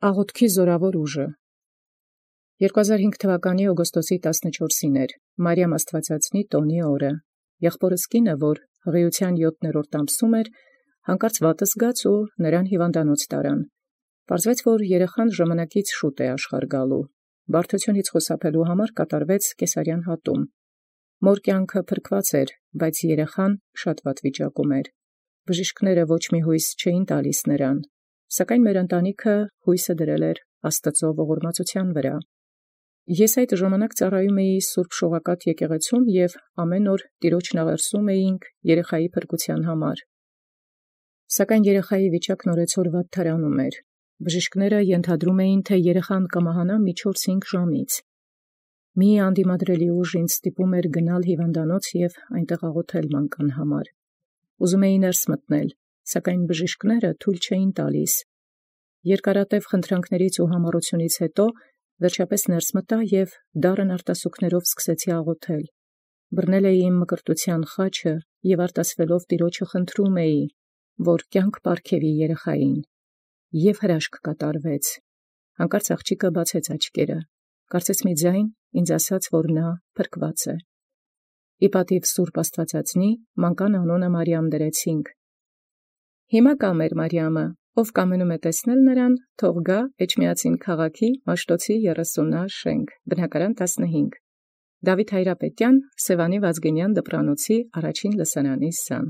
Աղոթքի զորավոր ուժը 2005 թվականի օգոստոսի 14-ին էր Մարիամ Աստվածածնի տոնի օրը։ Եղբորս կինը, որ հղիության 7-րդ ամսում էր, հանկարծ վատը զգաց ու նրան հիվանդանոց տարան։ Պարզվեց, որ երեխան ժամանակից շուտ է աշխարհ գալու։ Բարդությունից խուսափելու համար կատարվեց կեսարյան հատում։ Մոր կյանքը փրկված էր, բայց երեխան շատ վատ վիճակում էր։ Բժիշկները ոչ մի հույս չէին տալիս նրան, սակայն մեր ընտանիքը հույսը դրել էր Աստծո ողորմածության վրա։ Ես այդ ժամանակ ծառայում էի Սուրբ Շողակաթ եկեղեցում և ամեն օր Տիրոջն աղերսում էինք երեխայի փրկության համար։ Սակայն երեխայի վիճակն օրեցօր վատթարանում էր։ Բժիշկները ենթադրում էին, թե երեխան կմահանա մի 4-5 ժամից։ Մի անդիմադրելի ուժ ինձ ստիպում էր գնալ հիվանդանոց և այնտեղ աղոթել մանկան համար։ Ուզում էի ներս մտնել, սակայն բժիշկները թույլ չէին տալիս։ Երկարատև խնդրանքներից ու համառությունից հետո վերջապես ներս մտա և դառն արտասուքներով սկսեցի աղոթել։ Բռնել էի իմ մկրտության խաչը և արտասվելով Տիրոջը խնդրում էի, որ կյանք պարգևի երեխային։ Եվ հրաշք կատարվեց։ Հանկարծ աղջիկը բացեց աչքերը։ Կարծես մի ձայն ինձ ասաց, որ նա փրկված է։ Ի պատիվ Սուրբ Աստվածածնի մանկան անունը Մարիամ դրեցինք։ Հիմա կա մեր Մարիամը, ով կամենում է տեսնել նրան, թող գա Էջմիածին քաղաքի Մաշտոցի 30 շենք, բնակարան 15, Դավիթ Հայրապետյան, Սևանի Վազգենյան դպրանոցի առաջին լսարանի սան։